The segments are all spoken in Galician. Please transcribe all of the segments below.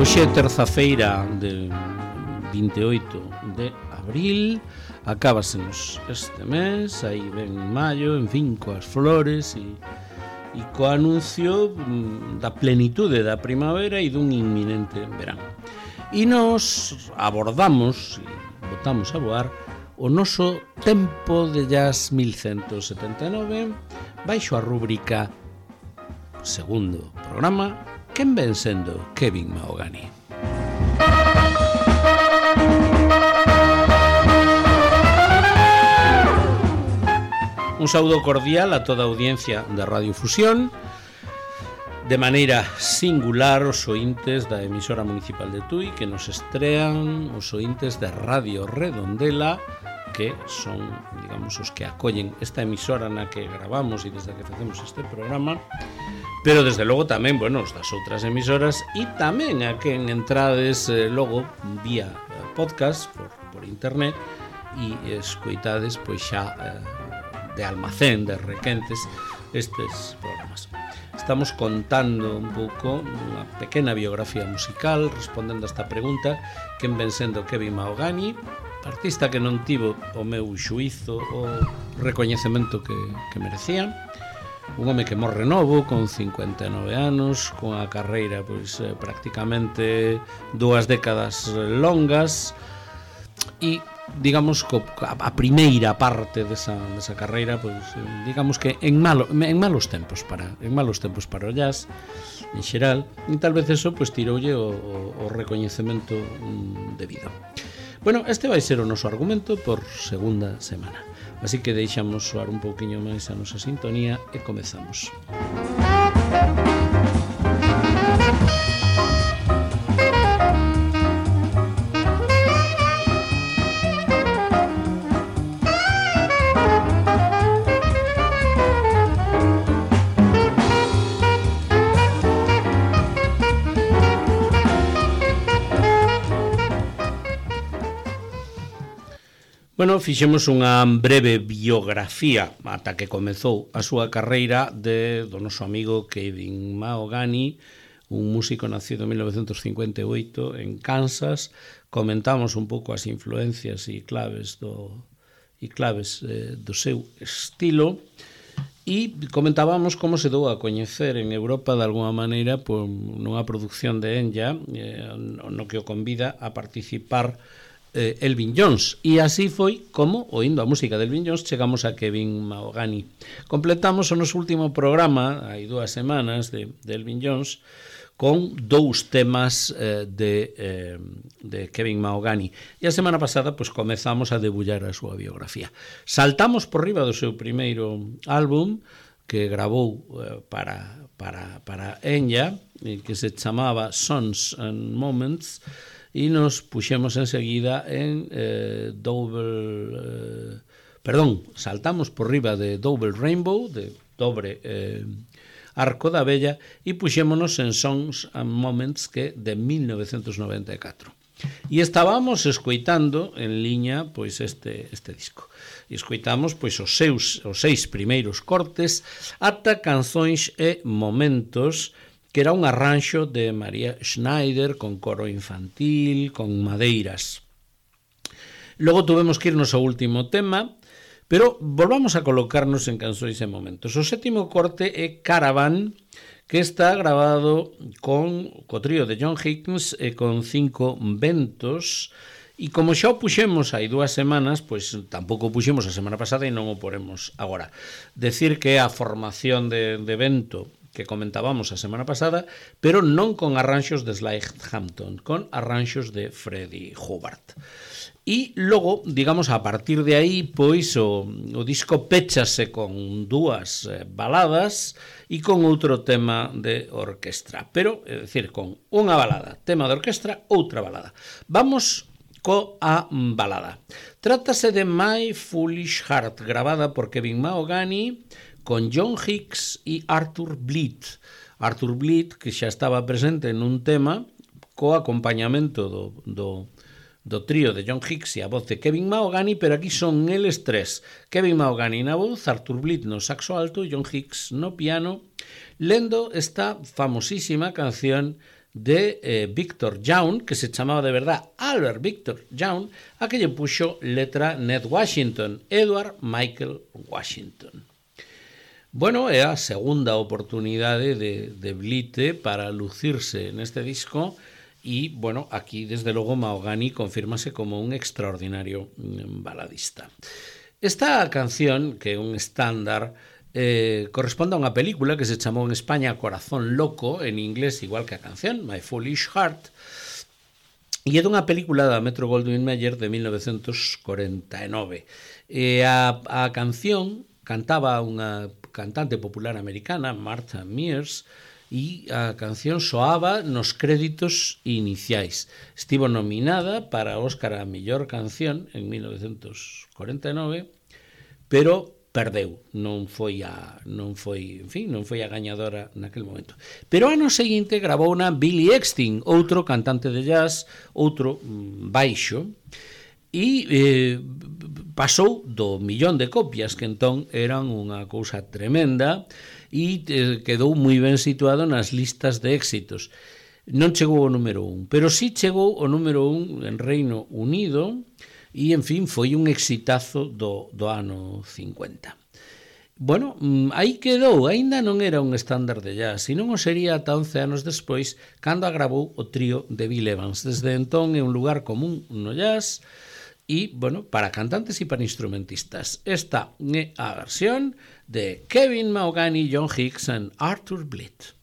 Hoxe é terza-feira de 28 de abril. Acábasenos este mes, aí ven maio, en fin, coas flores e co anuncio da plenitude da primavera e dun inminente verán. E nos abordamos e botamos a voar o noso tempo de jazz 1179 baixo a rúbrica segundo programa quen ven sendo Kevin Mahogany. Un saúdo cordial a toda a audiencia da Radio Fusión, de maneira singular os ointes da emisora municipal de Tui que nos estrean, os ointes de Radio Redondela, que son, digamos, os que acollen esta emisora na que gravamos e desde que facemos este programa, pero desde logo tamén, bueno, os das outras emisoras e tamén a quen entrades logo vía podcast por internet e escoitades pois xa de almacén, de requentes estes programas. Estamos contando un pouco unha pequena biografía musical respondendo a esta pregunta: quen ven sendo Kevin Mahogany, artista que non tivo o meu xuízo o recoñecemento que merecía, un home que morre novo con 59 anos, con a carreira pois prácticamente 2 décadas longas e digamos a primeira parte desa carreira pois digamos que en malos tempos para o jazz en xeral, e tal vez eso pois tiroulle o recoñecemento debido. Bueno, este vai ser o noso argumento por segunda semana, así que deixamos soar un pouquiño máis a nosa sintonía e comezamos. Bueno, fixemos unha breve biografía ata que comezou a súa carreira do noso amigo Kevin Mahogany, un músico nacido en 1958 en Kansas. Comentamos un pouco as influencias e claves do seu estilo e comentábamos como se dou a coñecer en Europa de alguma maneira por nunha produción de Enya no que o convida a participar Elvin Jones, e así foi como, oindo a música de Elvin Jones, chegamos a Kevin Mahogany. Completamos o noso último programa, hai 2 semanas, de Elvin Jones, con 2 temas de Kevin Mahogany. E a semana pasada pois comezamos a debullar a súa biografía. Saltamos por riba do seu primeiro álbum, que gravou para Enya, que se chamaba Songs and Moments, e nos puxemos enseguida en saltamos por riba de Double Rainbow, de dobre arco da vella, e puxémonos en Songs and Moments, que de 1994. E estábamos escoitando en liña pois este disco. E escoitamos pois os 6 primeiros cortes ata canzóns e momentos, que era un arranxo de María Schneider con coro infantil, con madeiras. Logo tuvemos que irnos ao último tema, pero volvamos a colocarnos en canções e momentos. O 7º corte é Caravan, que está grabado co trío de John Hicks e con 5 ventos, e como xa o puxemos hai 2 semanas, pois tampouco o puxemos a semana pasada e non o poremos agora. Decir que é a formación de vento que comentábamos a semana pasada, pero non con arranxos de Sly Hampton, con arranxos de Freddie Hubbard. E logo, digamos, a partir de aí, pois o disco péchase con 2 baladas e con outro tema de orquestra, pero, é dicir, con unha balada, tema de orquestra, outra balada. Vamos coa balada. Trátase de My Foolish Heart, gravada por Kevin Mahogany, con John Hicks e Arthur Bleed. Arthur Bleed, que xa estaba presente nun tema co acompañamento do trío de John Hicks e a voz de Kevin Mahogany, pero aquí son eles 3. Kevin Mahogany na voz, Arthur Bleed no saxo alto e John Hicks no piano, lendo esta famosísima canción de Victor Young, que se chamaba de verdad Albert Victor Young, a que lle puxo letra Ned Washington, Edward Michael Washington. Bueno, é a segunda oportunidade de Blite para lucirse neste disco e, bueno, aquí desde logo Mahogany confírmase como un extraordinario baladista. Esta canción, que é un estándar, corresponde a unha película que se chamou en España Corazón Loco, en inglés igual que a canción, My Foolish Heart, e é dunha película da Metro-Goldwyn-Mayer de 1949. A canción cantaba unha cantante popular americana, Martha Mears, e a canción soaba nos créditos iniciais. Estivo nominada para Óscar a mellor canción en 1949, pero perdeu, non foi a gañadora naquel momento. Pero ano seguinte gravou na Billy Eckstine, outro cantante de jazz, outro baixo, e pasou do 1.000.000 de copias, que entón eran unha cousa tremenda, e quedou moi ben situado nas listas de éxitos. Non chegou ao número 1, pero sí chegou ao número 1 en Reino Unido, e, en fin, foi un exitazo do ano 50. Bueno, aí quedou, aínda non era un estándar de jazz, e non o sería ata 11 anos despois, cando agravou o trío de Bill Evans. Desde entón é un lugar común no jazz, e, bueno, para cantantes e para instrumentistas. Esta é a versión de Kevin Mahogany, John Hicks e Arthur Blitt.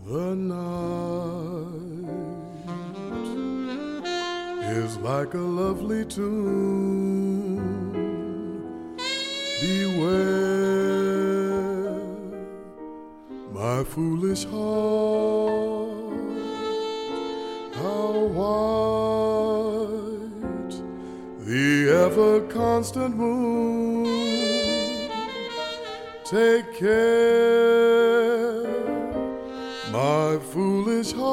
The night is like a lovely tune. Beware, my foolish heart, how white the ever-constant moon. Take care, my foolish heart.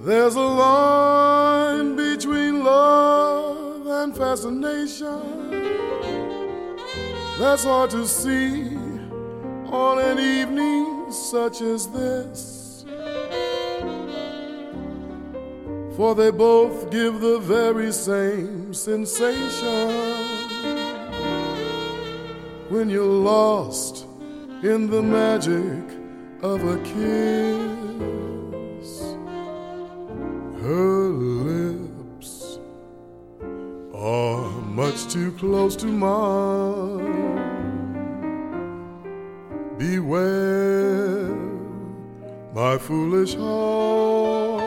There's a line between love and fascination that's hard to see on an evening such as this, for they both give the very same sensation when you're lost in the magic of a kiss. Her lips are much too close to mine. Beware, my foolish heart.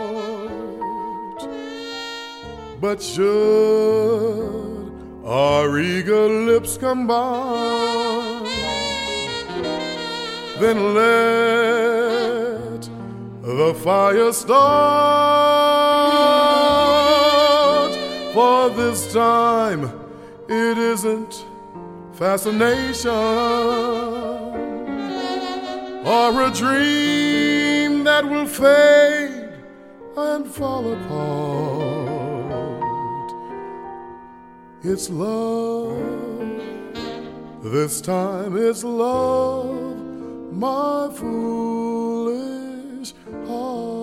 But should our eager lips combine, then let the fire start. For this time it isn't fascination or a dream that will fade and fall apart. It's love, this time it's love, my foolish heart.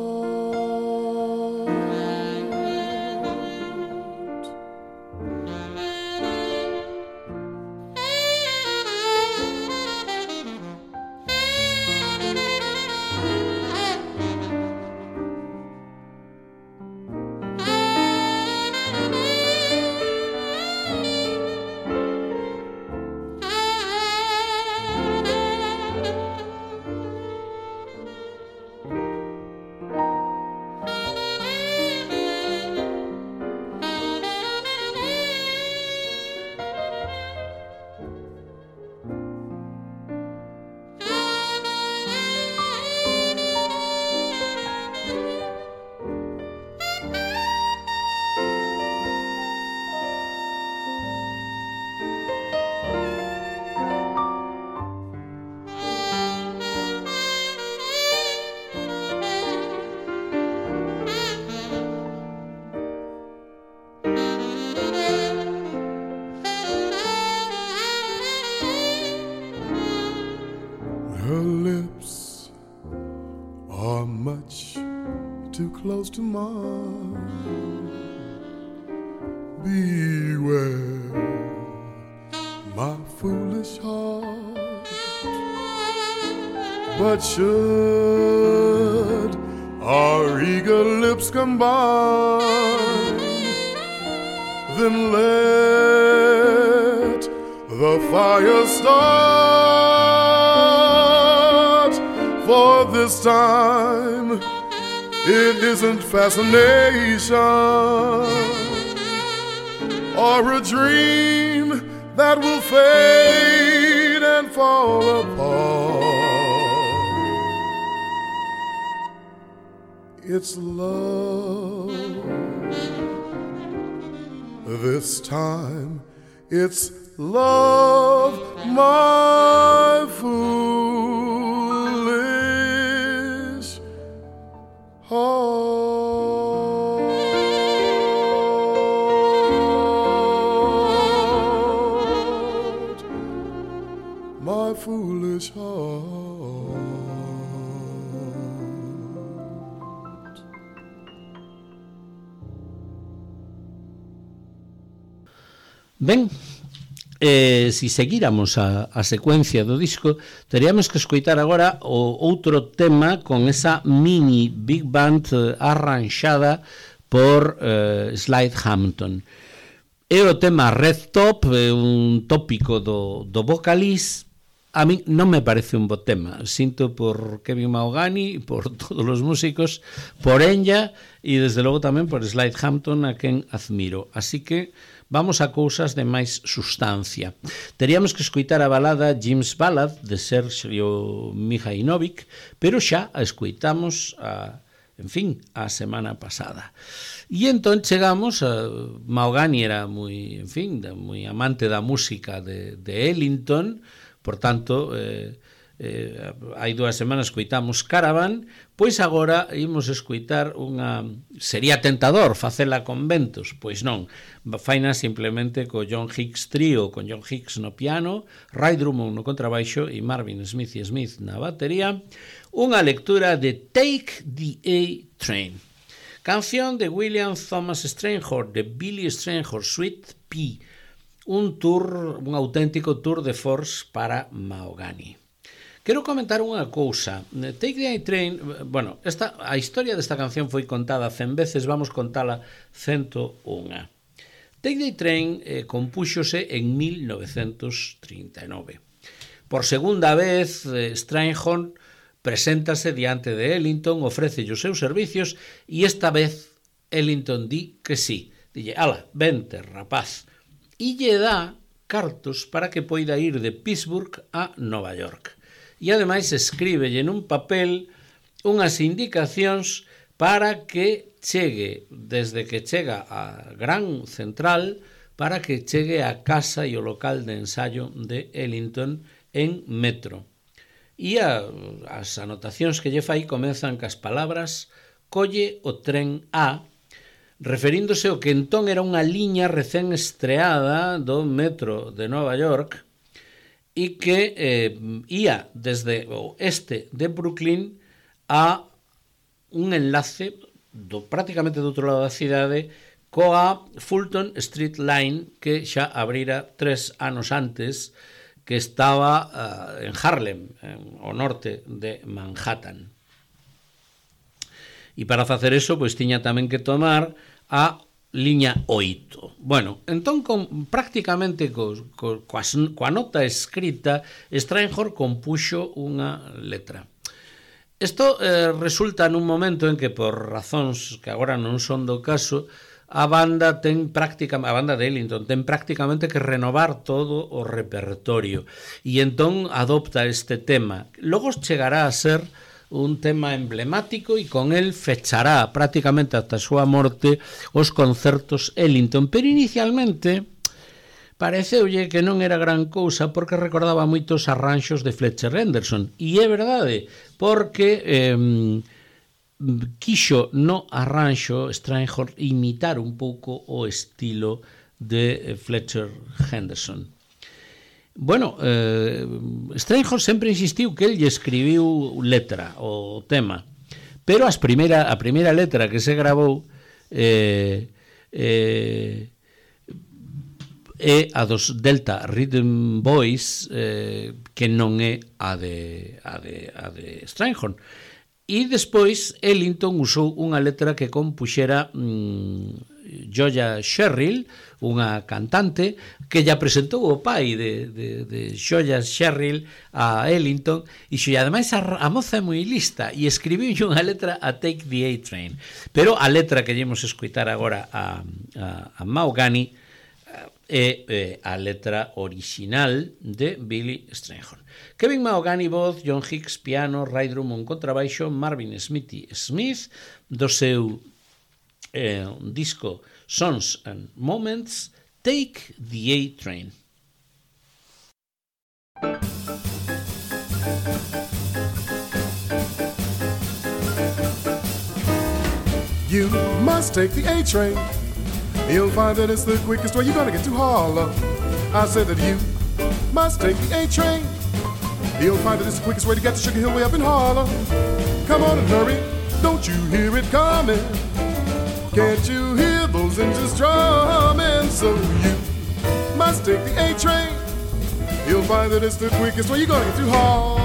Her lips are much too close to mine. Beware my foolish heart. But should our eager lips combine, then let the fire start. For this time it isn't fascination or a dream that will fade and fall apart. It's love. This time it's love, my foolish heart. My foolish heart. Ben, si seguíramos a secuencia do disco, teríamos que escoitar agora o outro tema con esa mini big band arranxada por Slide Hampton. É o tema Red Top, un tópico do vocalist. A mí non me parece un bo tema. Sinto por Kevin Mahogany, por todos os músicos, por Enya e desde logo tamén por Slide Hampton, a quen admiro. Así que vamos a cousas de máis sustancia. Teríamos que escoitar a balada Jim's Ballad de Sergio Mihajlovic, pero xa a escoitamos a semana pasada. E entón chegamos a Mahogany era moi amante da música de Ellington, por tanto, hai 2 semanas escoitamos Caravan, pois agora imos escoitar unha... Sería tentador facela con ventos, pois non, faina simplemente co John Hicks Trio, con John Hicks no piano, Ray Drummond no contrabaixo e Marvin Smith na batería, unha lectura de Take the A-Train, canción de William Thomas Strayhorn, de Billy Strayhorn Suite P, un auténtico tour de force para Mahogany. Quero comentar unha cousa. Take the A-Train, a historia desta canción foi contada 100 veces, vamos contala 101. Take the A-Train compúxose en 1939. Por segunda vez, Strayhorn preséntase diante de Ellington, ofrece os seus servicios e esta vez Ellington di que sí. Dille, ala, vente, rapaz. E lle dá cartos para que poida ir de Pittsburgh a Nova York. E ademais escríbelle nun papel unhas indicacións para que chegue, desde que chega a Gran Central, para que chegue a casa e o local de ensayo de Ellington en metro. E as anotacións que lle fai comenzan cas palabras colle o tren A, referíndose ao que entón era unha liña recén estreada do metro de Nova York e que ia desde o este de Brooklyn a un enlace prácticamente do outro lado da cidade coa Fulton Street Line, que xa abrira 3 anos antes, que estaba en Harlem, ao norte de Manhattan. E para facer eso, pois tiña tamén que tomar a liña 8. Bueno, entón, prácticamente coa nota escrita, Strayhorn compuxo unha letra. Isto resulta nun momento en que, por razóns que agora non son do caso, a banda de Ellington ten prácticamente que renovar todo o repertorio e entón adopta este tema. Logo chegará a ser un tema emblemático e con el fechará prácticamente ata a súa morte os concertos Ellington, pero inicialmente pareceulle que non era gran cousa porque recordaba moitos arranxos de Fletcher Henderson, e é verdade, porque quixo no arranxo Strayhorn imitar un pouco o estilo de Fletcher Henderson. Bueno, Strayhorn sempre insistiu que el lle escribiu letra, o tema, pero a primeira letra que se grabou é a dos Delta Rhythm Boys, que non é a de Strayhorn. E despois Ellington usou unha letra que compuxera Joya Sherrill, unha cantante que lla presentou o pai de Joya Sherrill a Ellington, e ademais a moza é moi lista e escribiu unha letra a Take the A-Train, pero a letra que llemos escoitar agora a Mahogany é a letra original de Billy Strayhorn. Kevin Mahogany, voz, John Hicks, piano, Ray Drummond, contrabaixo, Marvin Smithy Smith, do seu disco Songs and Moments, Take the A-Train. You must take the A-Train. You'll find that it's the quickest way. You're gonna get to Harlem. I said that you must take the A-Train. You'll find that it's the quickest way to get to Sugar Hill way up in Harlem. Come on and hurry, don't you hear it coming? Can't you hear those engines drumming? So you must take the A-Train. You'll find that it's the quickest way. You're gonna get to Harlem.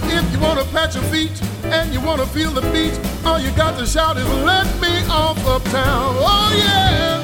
If you want to pat your feet and you want to feel the beat, all you got to shout is let me off uptown. Oh yeah.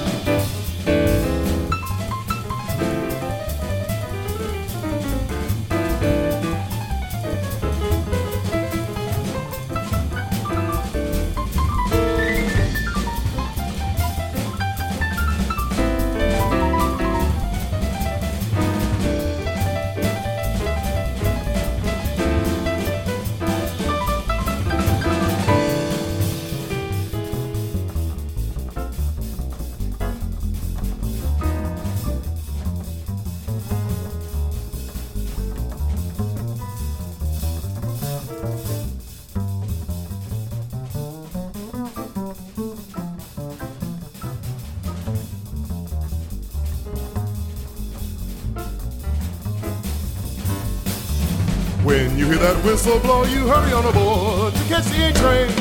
When you hear that whistle blow, you hurry on aboard to catch the A-Train.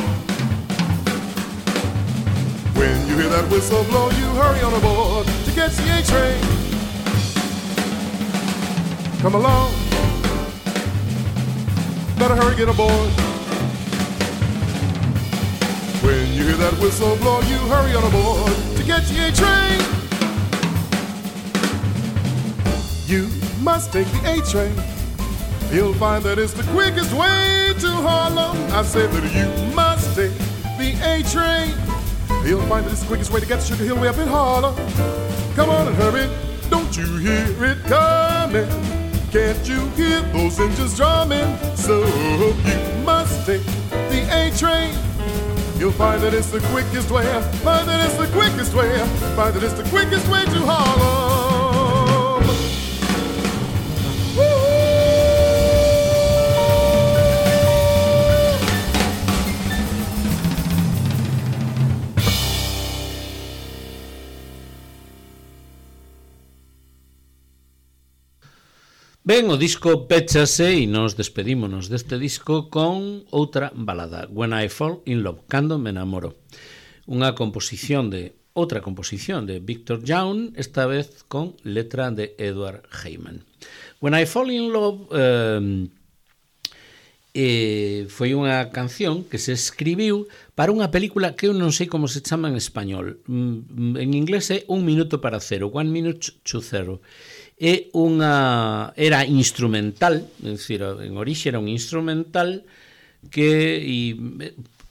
When you hear that whistle blow, you hurry on aboard to catch the A-Train. Come along, better hurry, get aboard. When you hear that whistle blow, you hurry on aboard to catch the A-Train. You must take the A-Train. You'll find that it's the quickest way to Harlem. I said that you must take the A-Train. You'll find that it's the quickest way to get to Sugar Hill way up in Harlem. Come on and hurry, don't you hear it coming? Can't you hear those engines drumming? So you must take the A-Train. You'll find that it's the quickest way. Find that it's the quickest way. Find that it's the quickest way to Harlem. Ben, o disco péchase e nos despedímonos deste disco con outra balada, When I Fall in Love, Cando me enamoro. Outra composición de Victor Young, esta vez con letra de Edward Heyman. When I Fall in Love foi unha canción que se escribiu para unha película que eu non sei como se chama en español. En inglés é 1 minuto para cero, 1 minute to zero. era instrumental, é dicir, en orixe era un instrumental que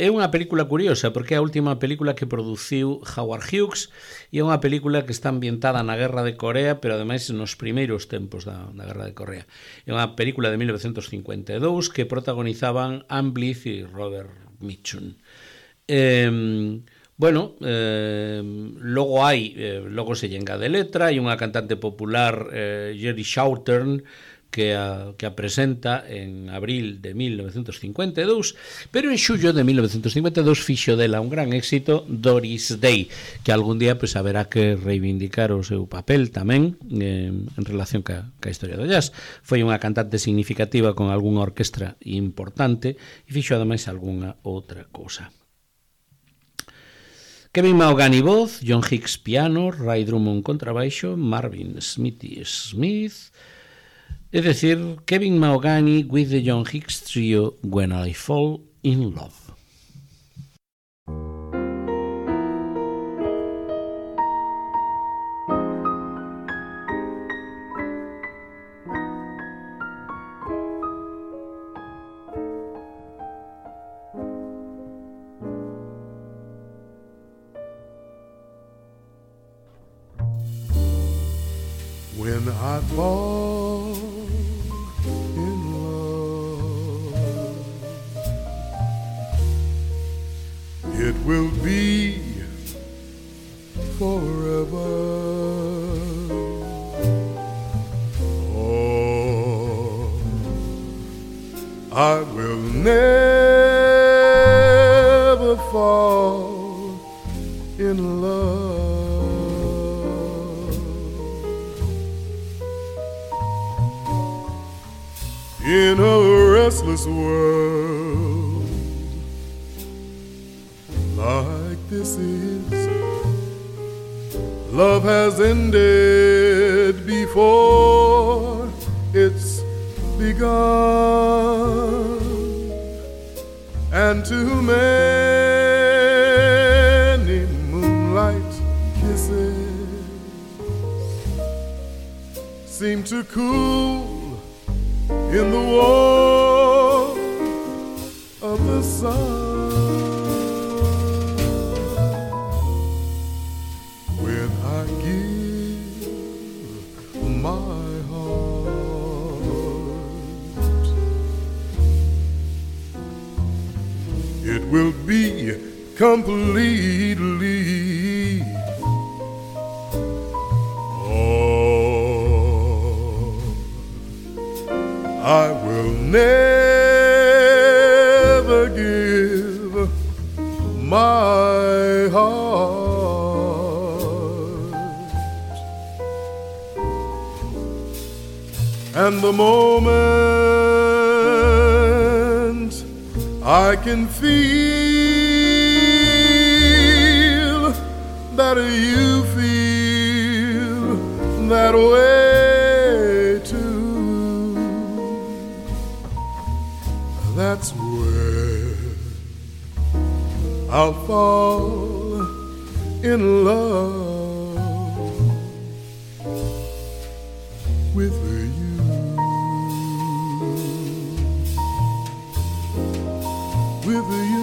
é unha película curiosa porque é a última película que produciu Howard Hughes e é unha película que está ambientada na Guerra de Corea, pero ademais nos primeiros tempos da Guerra de Corea. É unha película de 1952 que protagonizaban Anne Blyth e Robert Mitchum. Logo se llenga de letra, hai unha cantante popular, Jerry Southern, que a presenta en abril de 1952, pero en xullo de 1952 fixo dela un gran éxito, Doris Day, que algún día pues, haberá que reivindicar o seu papel tamén en relación ca historia do jazz. Foi unha cantante significativa con algunha orquestra importante e fixo ademais algunha outra cousa. Kevin Mahogany voz, John Hicks piano, Ray Drummond contrabaixo, Marvin Smithy Smith. Es decir, Kevin Mahogany with the John Hicks Trio, When I Fall in Love. When I fall it will be forever. Oh, I will never fall in love. In a restless world like this is, love has ended before it's begun, and too many moonlight kisses seem to cool in the warmth of the sun. Will be completely. Oh, I will never give my heart, and the moment I can feel that you feel that way too. That's where I'll fall in love with you. With you.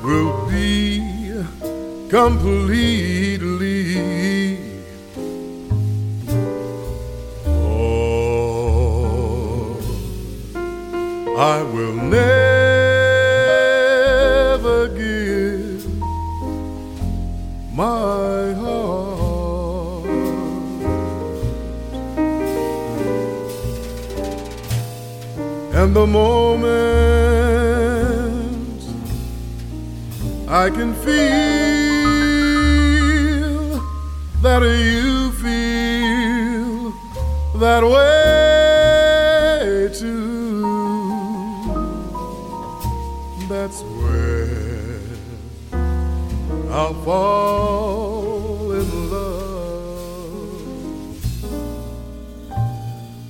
will be completely. Oh, I will never give my heart, and the moment I can feel that you feel that way too, that's when I'll fall in love.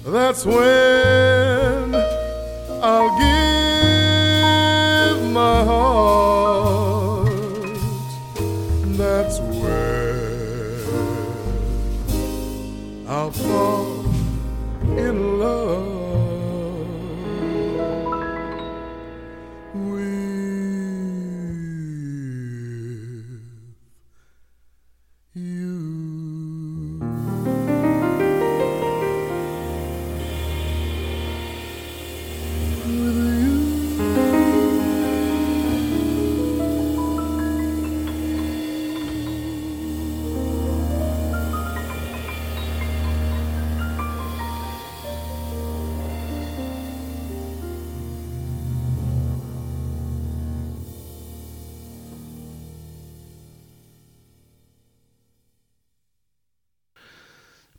That's when I'll give my heart. That's when I'll fall in love with you.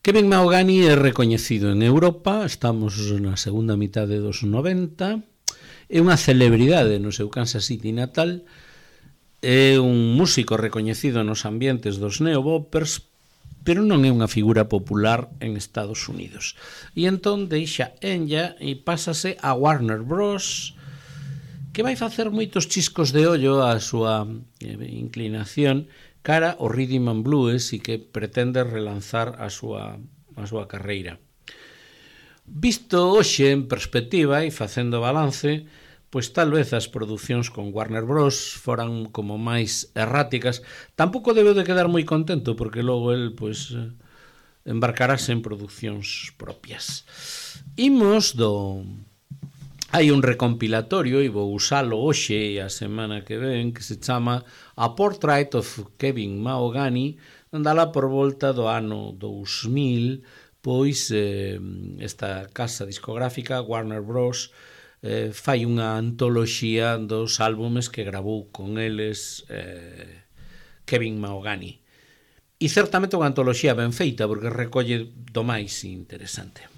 Kevin Mahogany é recoñecido en Europa, estamos na segunda mitade dos 90, é unha celebridade no seu Kansas City natal, é un músico recoñecido nos ambientes dos neoboppers, pero non é unha figura popular en Estados Unidos. E entón deixa ella e pásase a Warner Bros., que vai facer moitos chiscos de ollo á súa inclinación cara ao rhythm and blues e que pretende relanzar a súa carreira. Visto hoxe en perspectiva e facendo balance, pois tal vez as producións con Warner Bros. Foran como máis erráticas. Tampouco debeu de quedar moi contento porque logo el pois embarcarase en producións propias. Imos do... Hai un recompilatorio, e vou usalo hoxe e a semana que ven, que se chama A Portrait of Kevin Mahogany, andala por volta do ano 2000, pois esta casa discográfica, Warner Bros., fai unha antoloxía dos álbumes que gravou con eles Kevin Mahogany. E certamente unha antoloxía ben feita, porque recolle do máis interesante.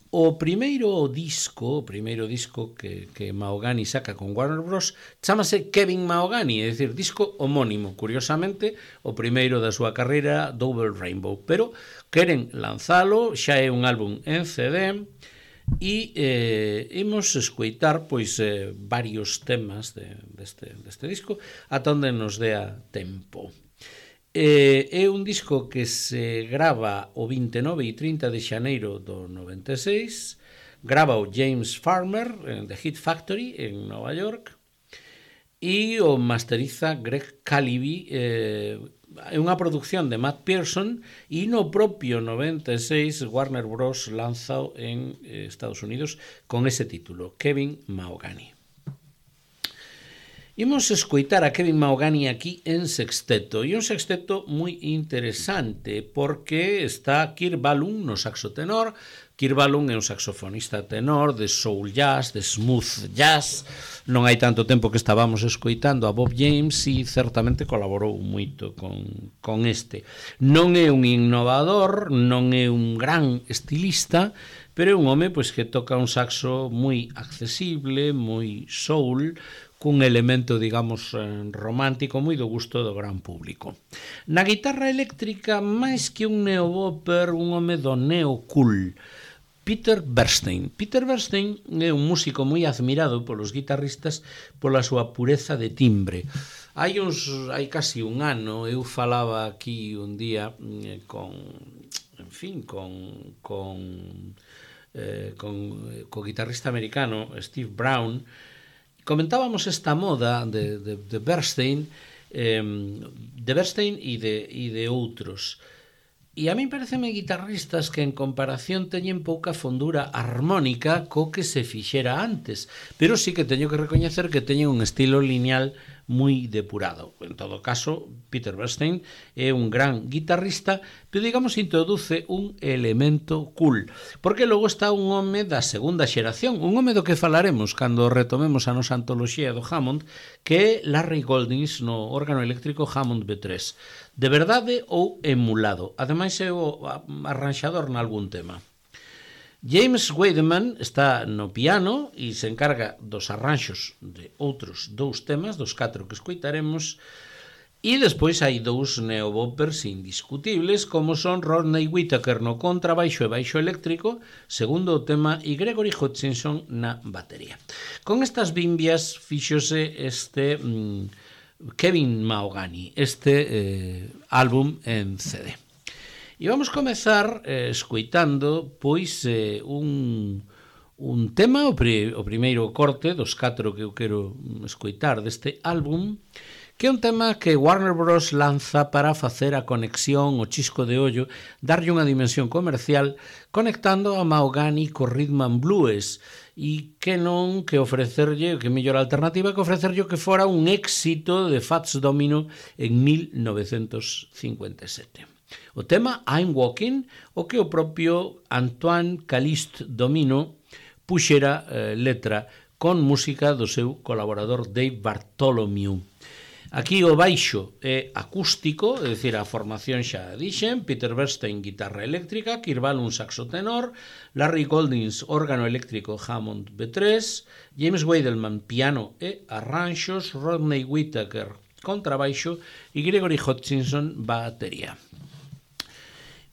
O primeiro disco que Mahogany saca con Warner Bros. Chámase Kevin Mahogany, é dicir, disco homónimo, curiosamente, o primeiro da súa carreira, Double Rainbow, pero queren lanzalo, xa é un álbum en CD, e imos escoitar pois varios temas deste disco ata onde nos dea tempo. É un disco que se grava o 29 e 30 de xaneiro do 96, grava o James Farmer en The Hit Factory en Nova York e o masteriza Greg Caliby. É unha produción de Matt Pearson e no propio 96 Warner Bros. Lanzao en Estados Unidos con ese título, Kevin Mahogany. Imos escoitar a Kevin Mahogany aquí en sexteto, e un sexteto moi interesante porque está Kirk Whalum no saxo tenor. Kirk Whalum é un saxofonista tenor de soul jazz, de smooth jazz. Non hai tanto tempo que estábamos escoitando a Bob James e certamente colaborou moito con este. Non é un innovador, non é un gran estilista, pero é un home pois que toca un saxo moi accesible, moi soul, cun elemento, digamos, romántico moi do gusto do gran público. Na guitarra eléctrica, máis que un neobopper, un home do neo-cool, Peter Bernstein. Peter Bernstein é un músico moi admirado polos guitarristas pola súa pureza de timbre. Hai casi un ano eu falaba aquí un día co guitarrista americano Steve Brown, comentábamos esta moda de Bernstein, e de outros. E a mí pareceme guitarristas que en comparación teñen pouca fondura armónica co que se fixera antes, pero sí que teño que recoñecer que teñen un estilo lineal moi depurado. En todo caso, Peter Bernstein é un gran guitarrista, pero digamos introduce un elemento cool, porque logo está un home da segunda xeración, un home do que falaremos cando retomemos a nosa antoloxía do Hammond, que é Larry Goldings no órgano eléctrico Hammond B3. De verdade ou emulado. Ademais é o arranxador nalgún tema. James Weideman está no piano e se encarga dos arranxos de outros 2 temas, dos 4 que escoitaremos, e despois hai 2 neoboppers indiscutibles, como son Rodney Whittaker no contrabaixo e baixo eléctrico, segundo o tema, e Gregory Hutchinson na batería. Con estas bimbias fíxose este Kevin Mahogany, álbum en CD. E vamos comezar escoitando pois un tema, o primeiro corte dos 4 que eu quero escoitar deste álbum, que é un tema que Warner Bros. Lanza para facer a conexión, o chisco de ollo, darlle unha dimensión comercial, conectando a Mahogany co rhythm and blues, e que non que ofrecerlle, que mellor alternativa que ofrecerlle que fora un éxito de Fats Domino en 1957. O tema I'm Walking, o que o propio Antoine Caliste Domino puxera letra con música do seu colaborador Dave Bartholomew. Aquí o baixo é acústico, é dicir, a formación xa dixen, Peter Bernstein guitarra eléctrica, Kirk Whalum saxo tenor, Larry Goldings órgano eléctrico Hammond B3, James Weidelman piano e arranxos, Rodney Whittaker contrabaixo e Gregory Hutchinson batería.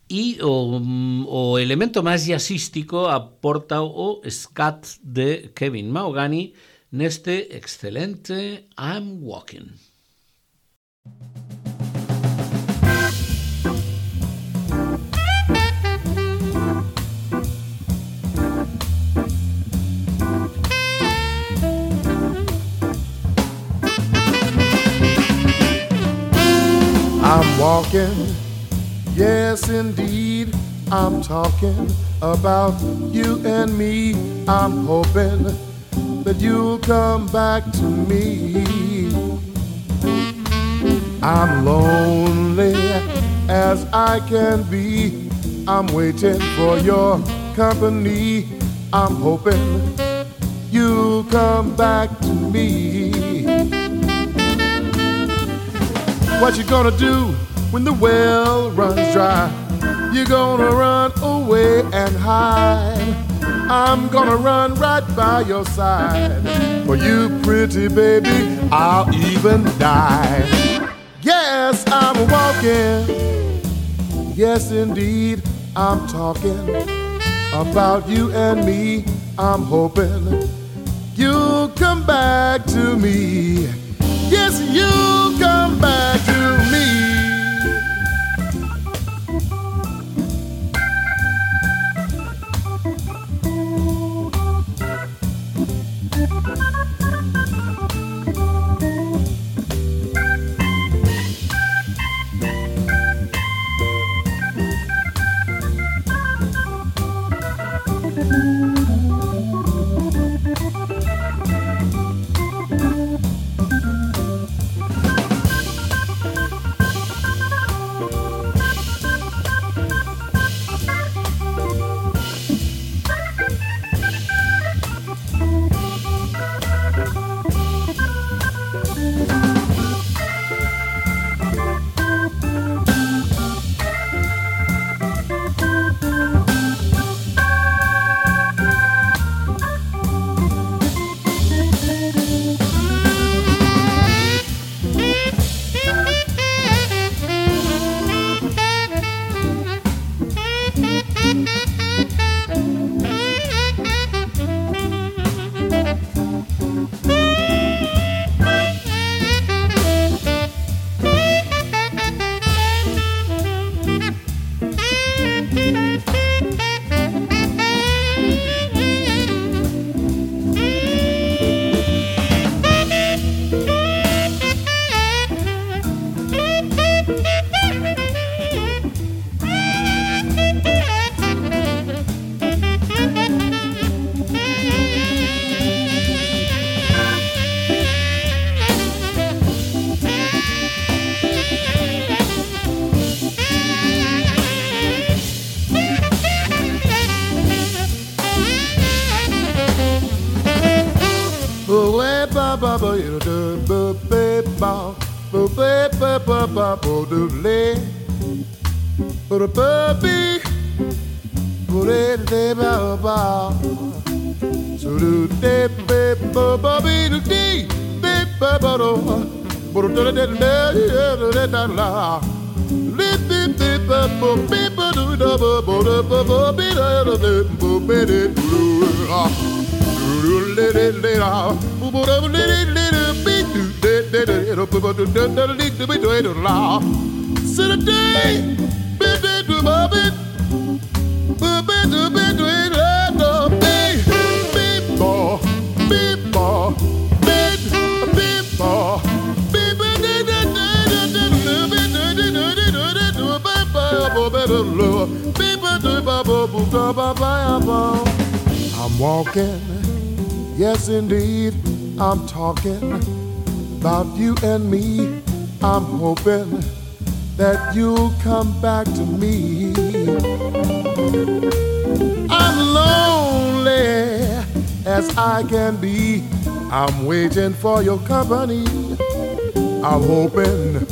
E o elemento máis jazzístico aporta o scat de Kevin Mahogany neste excelente I'm Walking. I'm walking, yes indeed, I'm talking about you and me. I'm hoping that you'll come back to me. I'm lonely as I can be. I'm waiting for your company. I'm hoping you'll come back to me. What you gonna do when the well runs dry? You're gonna run away and hide. I'm gonna run right by your side. For you, pretty baby, I'll even die. Yes, I'm walking. Yes, indeed, I'm talking about you and me. I'm hoping you'll come back to me. Yes, you'll come back to me. I'm walking, yes indeed, I'm talking about you and me. I'm hoping that you'll come back to me. I'm lonely as I can be. I'm waiting for your company. I'm hoping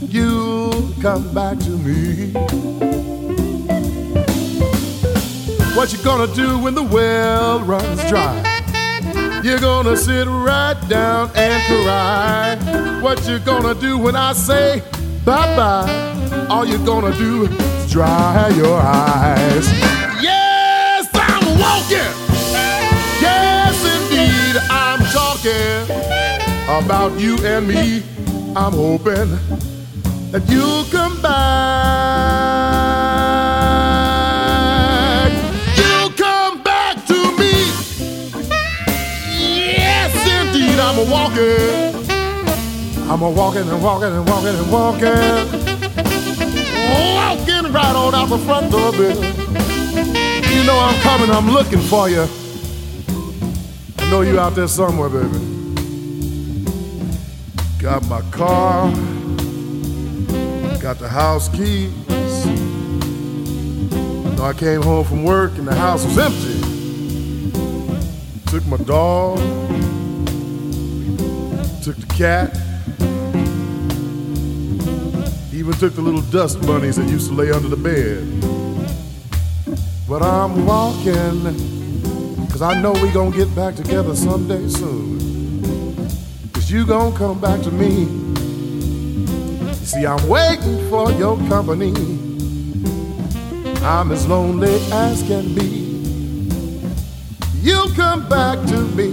you'll come back to me. What you gonna do when the well runs dry? You're gonna sit right down and cry. What you gonna do when I say bye-bye? All you're gonna do is dry your eyes. Yes, I'm walking. Yes, indeed, I'm talking about you and me. I'm hoping that you'll come back. You'll come back to me. Yes, indeed, I'm walking. I'm walking and walking and walking and walking. Walking right on out the front door, baby. You know I'm coming, I'm looking for you. I know you out there somewhere, baby. Got my car, got the house keys. I came home from work and the house was empty. Took my dog, took the cat, even took the little dust bunnies that used to lay under the bed. But I'm walking, 'cause I know we gonna get back together someday soon. 'Cause you gonna come back to me. You see, I'm waiting for your company. I'm as lonely as can be. You'll come back to me.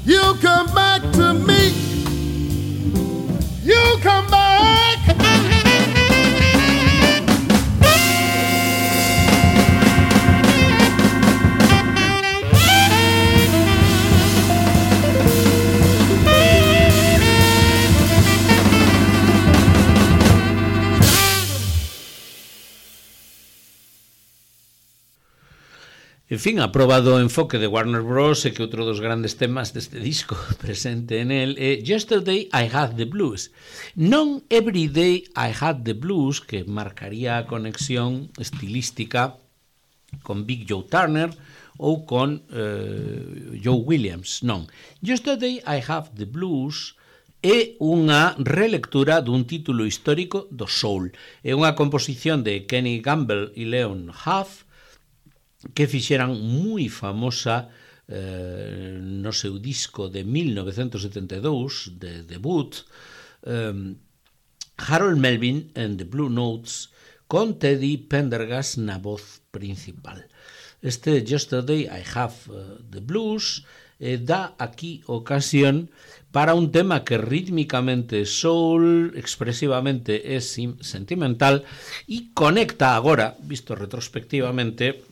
You'll come back to me. You'll come back. En fin, aprobado o enfoque de Warner Bros. E que outro dos grandes temas deste disco presente en el é Yesterday I Had the Blues. Non Every Day I Had the Blues, que marcaría a conexión estilística con Big Joe Turner ou con Joe Williams, non. Yesterday I Have the Blues é unha relectura dun título histórico do soul. É unha composición de Kenny Gamble e Leon Huff que fixeran moi famosa no seu disco de 1972 de debut, Harold Melvin and the Blue Notes, con Teddy Pendergast na voz principal. Este Yesterday I Have the Blues dá aquí ocasión para un tema que rítmicamente soul, expresivamente é sentimental e conecta agora, visto retrospectivamente,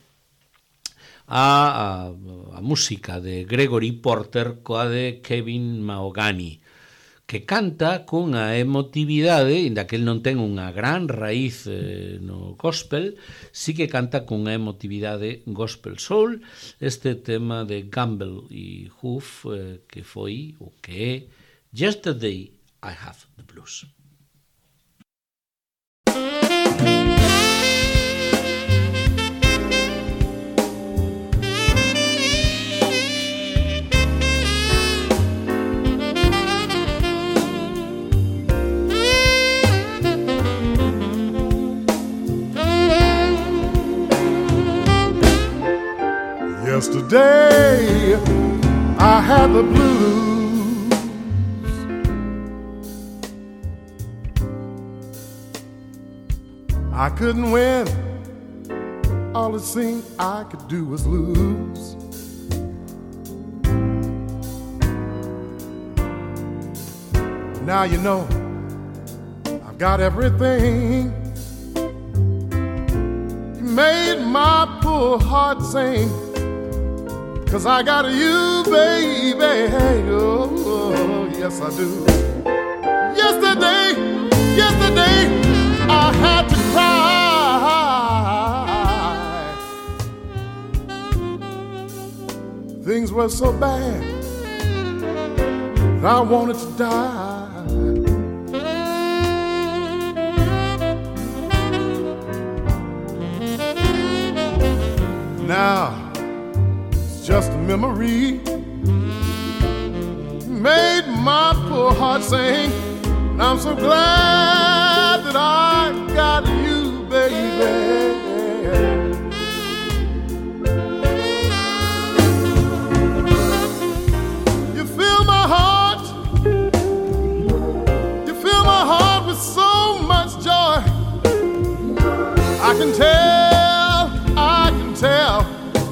a música de Gregory Porter coa de Kevin Mahogany, que canta cunha emotividade, inda que el non ten unha gran raíz no gospel, sí que canta cunha emotividade gospel soul, este tema de Gamble e Huff, que foi o que é Yesterday I Have the Blues. had the blues. I couldn't win. All it seemed I could do was lose. Now you know I've got everything. You made my poor heart sing, 'cause I got you, baby. Oh, yes I do. Yesterday I had to cry. Things were so bad that I wanted to die. Now it's just a memory. Made my poor heart sing, and I'm so glad that I got you, baby. You fill my heart, you fill my heart with so much joy. I can tell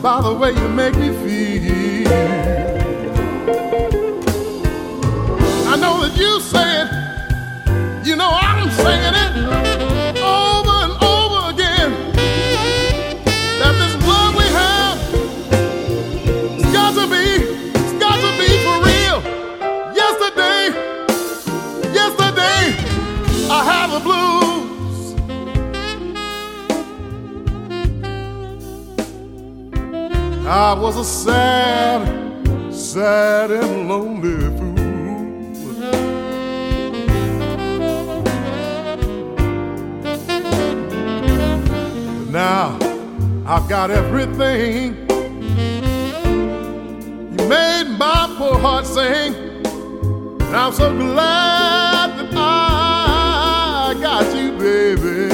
by the way you make me feel. I know that you say it, you know I'm saying it over and over again, that this love we have, it's got to be for real. Yesterday, I had the blues. I was a sad and lonely fool. Now I've got everything. You made my poor heart sing, and I'm so glad that I got you, baby.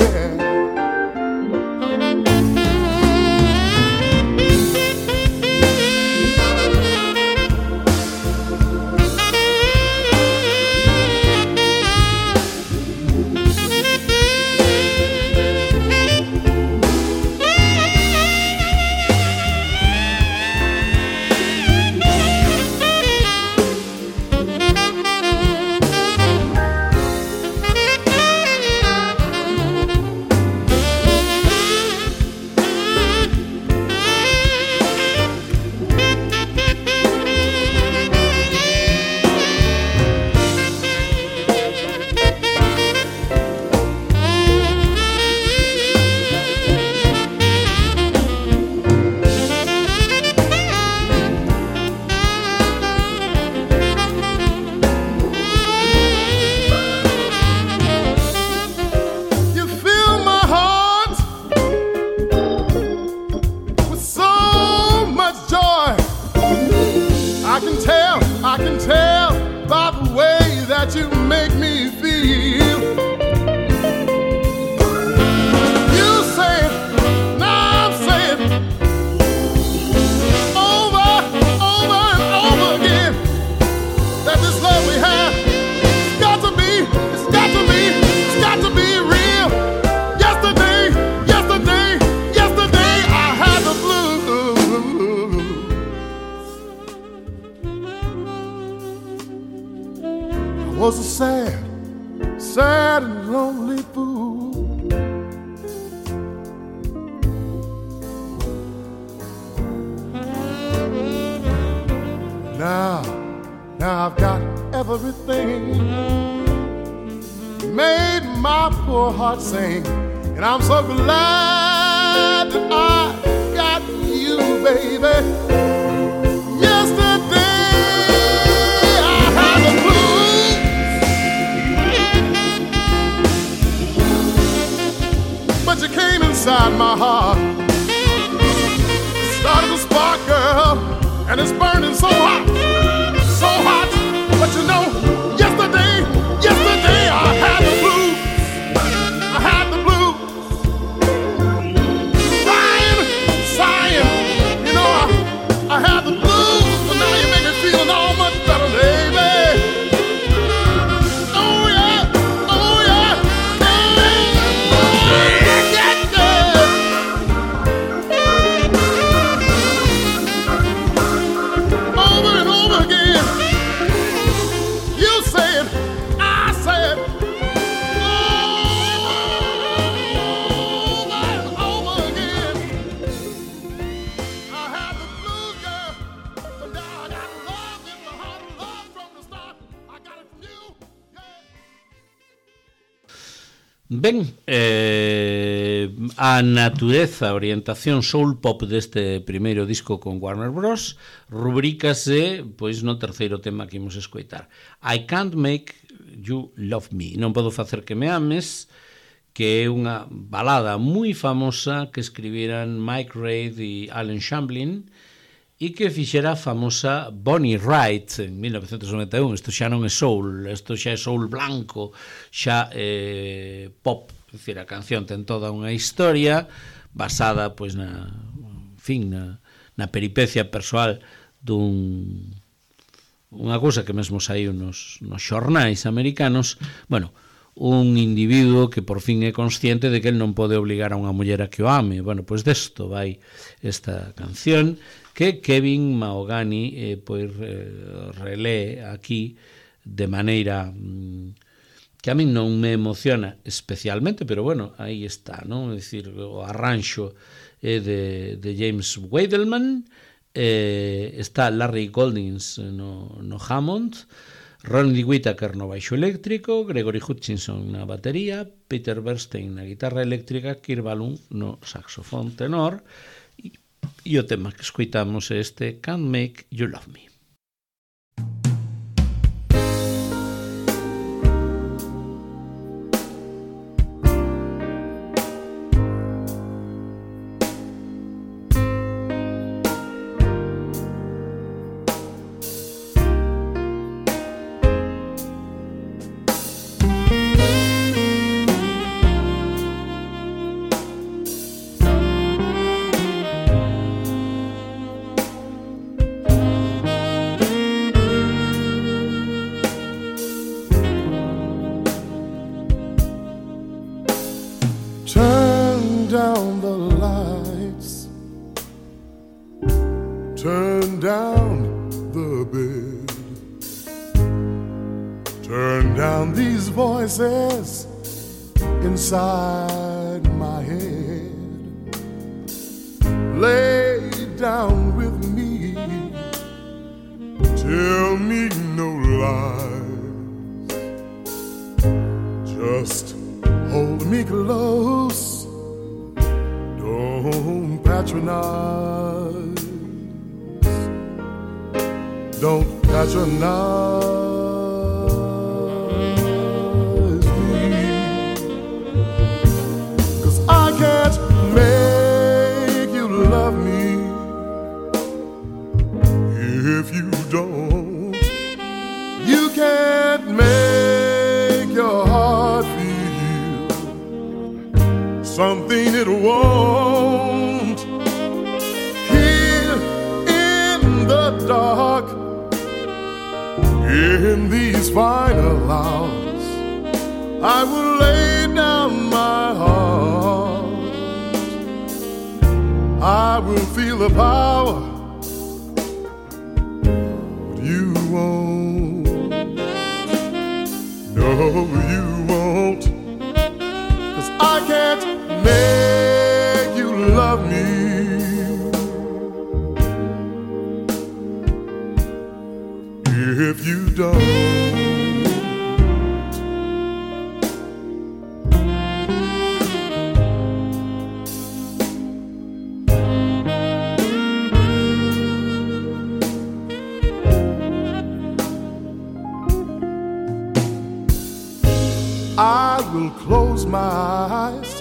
I can tell by the way that you make me feel. You say it, now I'm saying it, over and over again, that this love we have, it's got to be real. Yesterday, I had the blues. I was a sad and lonely fool. Now I've got everything. Made my poor heart sing, and I'm so glad that I got you, baby. Yesterday I had the blues, but you came inside my heart, started to spark, girl, and it's burning so hot. But you know, yesterday I had the blues. I had the blues. Sighing, you know, Ben, a natureza, a orientación soul pop deste primeiro disco con Warner Bros. Rubrícase pois no terceiro tema que imos escoitar. I Can't Make You Love Me. Non podo facer que me ames, que é unha balada moi famosa que escribiran Mike Reid e Alan Shamblin e que fixera a famosa Bonnie Wright en 1991. Isto xa non é soul, isto xa é soul blanco, xa é pop. É dicir, a canción ten toda unha historia basada pois na peripecia persoal unha cousa que mesmo saiu nos xornais americanos. Bueno, un individuo que por fin é consciente de que el non pode obligar a unha muller a que o ame. Bueno, pois desto vai esta canción que Kevin Mahogany relee aquí de maneira que a min non me emociona especialmente, pero bueno, aí está, non? É dicir, o arranxo é de James Weidelman, está Larry Goldings no Hammond, Ronnie Whittaker no baixo eléctrico, Gregory Hutchinson na batería, Peter Bernstein na guitarra eléctrica, Kirk Whalum no saxofón tenor, e o tema que escoitamos é este Can't Make You Love Me. Turn down the bed. Turn down these voices inside my head. Lay down with me. Tell me no lies. Just hold me close. Don't patronize. Don't patronize me, 'cause I can't make you love me if you don't. You can't make your heart feel something it won't. Here in the dark, in these final hours, I will lay down my heart. I will feel the power, but you won't. No, you won't. 'Cause I can't make you love me if you don't. I will close my eyes,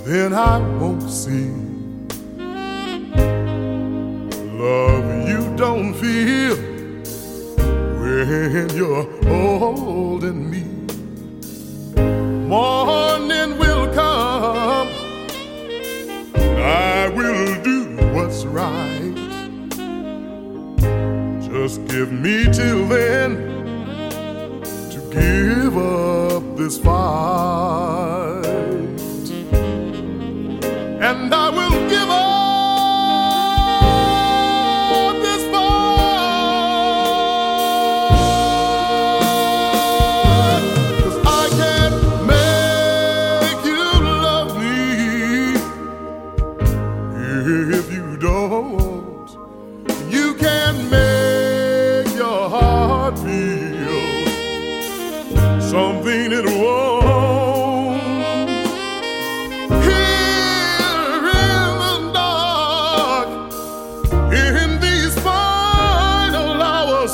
then I won't see love you don't feel when you're holding me. Morning will come, I will do what's right. Just give me till then to give up this fight, and I will give up this fight, 'cause I can't make you love me if you don't. You can't make your heart feel something it won't. Here in the dark, in these final hours,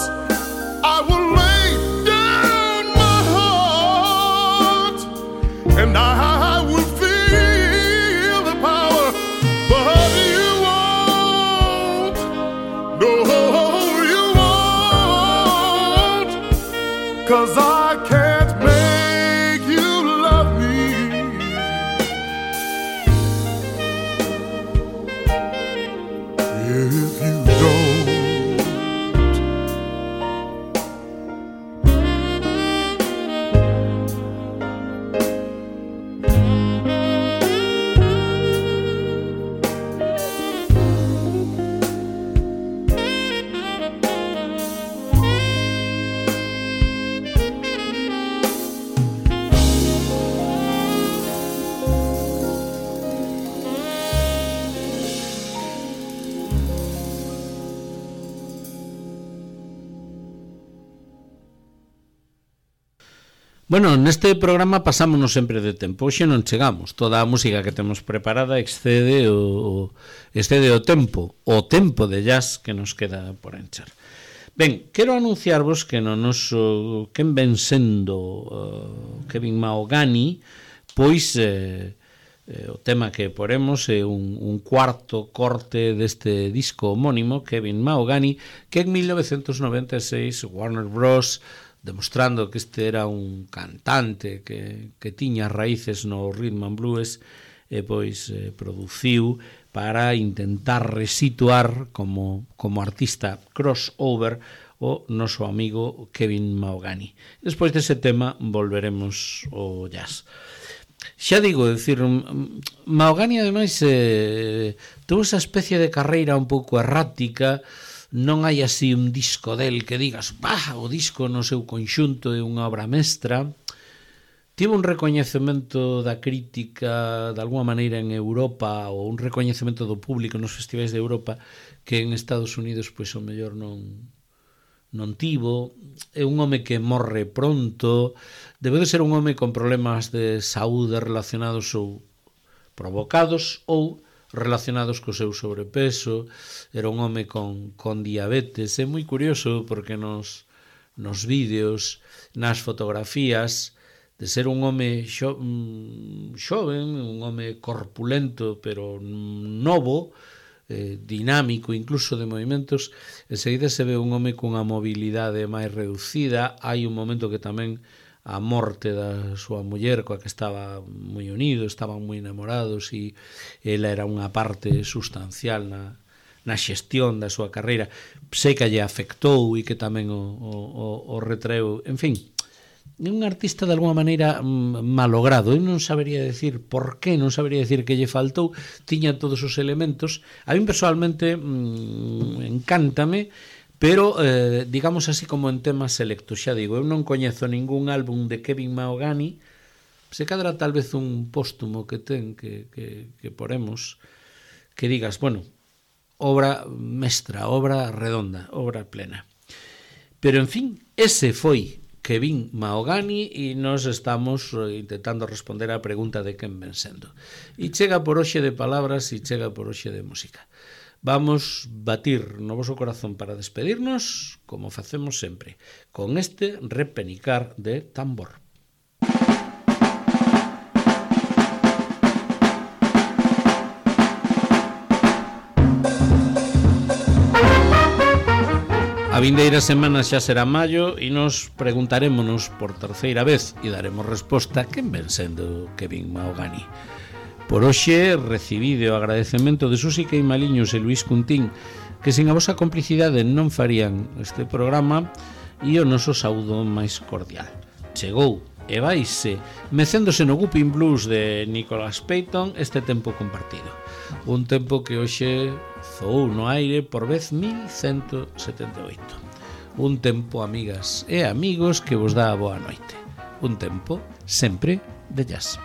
I will lay down my heart, and I will feel the power, but you won't. No, you won't, 'cause I can't make you love me if you don't. Bueno, neste programa pasámonos sempre de tempo. Hoxe non chegamos. Toda a música que temos preparada excede o tempo de jazz que nos queda por encher. Ben, quero anunciarvos que no noso quen ven sendo Kevin Mahogany, pois o tema que poremos é un cuarto corte deste disco homónimo, Kevin Mahogany, que en 1996 Warner Bros., demostrando que este era un cantante que tiña raíces no rhythm and blues, pois produciu para intentar resituar como artista crossover o noso amigo Kevin Mahogany. Despois dese tema volveremos ao jazz. Xa digo, decir, Mahogany ademais tuvo esa especie de carreira un pouco errática. Non hai así un disco del que digas, o disco no seu conxunto é unha obra mestra. Tivo un recoñecemento da crítica de alguma maneira en Europa, ou un recoñecemento do público nos festivais de Europa que en Estados Unidos pois o mellor non tivo. É un home que morre pronto, debe de ser un home con problemas de saúde relacionados ou provocados ou relacionados co seu sobrepeso. Era un home con diabetes. É moi curioso porque nos vídeos, nas fotografías, de ser un home xoven, un home corpulento pero novo, dinámico incluso de movimentos, enseguida se ve un home cunha mobilidade máis reducida. Hai un momento que tamén a morte da súa muller, coa que estaba moi unido, estaban moi enamorados, e ela era unha parte sustancial na xestión da súa carreira. Sei que lle afectou e que tamén o retraeu. En fin, é un artista de alguma maneira malogrado. Eu non sabería decir por qué, non sabería decir que lle faltou. Tiña todos os elementos. A mí personalmente encántame, pero digamos así como en temas selectos. Xa digo, eu non coñezo ningún álbum de Kevin Mahogany. Se cadra tal vez un póstumo que ten que poremos, que digas, bueno, obra mestra, obra redonda, obra plena. Pero en fin, ese foi Kevin Mahogany e nos estamos intentando responder á pregunta de quen ven sendo. E chega por hoxe de palabras e chega por hoxe de música. Vamos batir no voso corazón para despedirnos, como facemos sempre, con este repenicar de tambor. A vindeira semana xa será maio e nos preguntarémonos por terceira vez e daremos resposta a quen ven sendo Kevin Mahogany. Por hoxe recibide o agradecemento de Susi Queimaliños e Luís Cuntín, que sen a vosa complicidade non farían este programa, e o noso saúdo máis cordial. Chegou e vaise mecéndose no Whooping Blues de Nicholas Payton este tempo compartido. Un tempo que hoxe zoou no aire por vez 1178. Un tempo, amigas e amigos, que vos dá a boa noite. Un tempo sempre de jazz.